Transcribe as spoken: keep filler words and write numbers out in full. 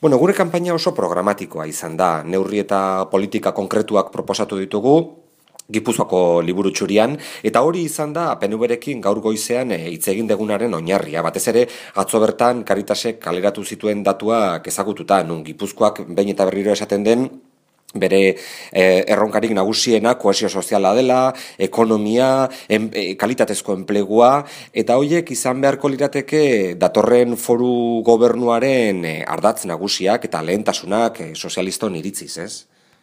Bueno, gure kanpaina oso programatikoa izan da. Neurri eta politika konkretuak proposatu ditugu, Gipuzkoako liburu txurian, eta hori izan da P N V-rekin gaur goizean hitz egin degunaren oinarria. Batez ere, atzo bertan Caritasek kaleratu zituen datuak ezagututa, nun Gipuzkoak behin eta berriro esaten den, bere eh, erronkarik nagusiena kohesio soziala dela, ekonomia, em, e, kalitatezko enplegua, eta horiek izan beharko lirateke datorren foru gobernuaren eh, ardatz nagusiak eta lehentasunak eh, sozialiston iritziz, ez?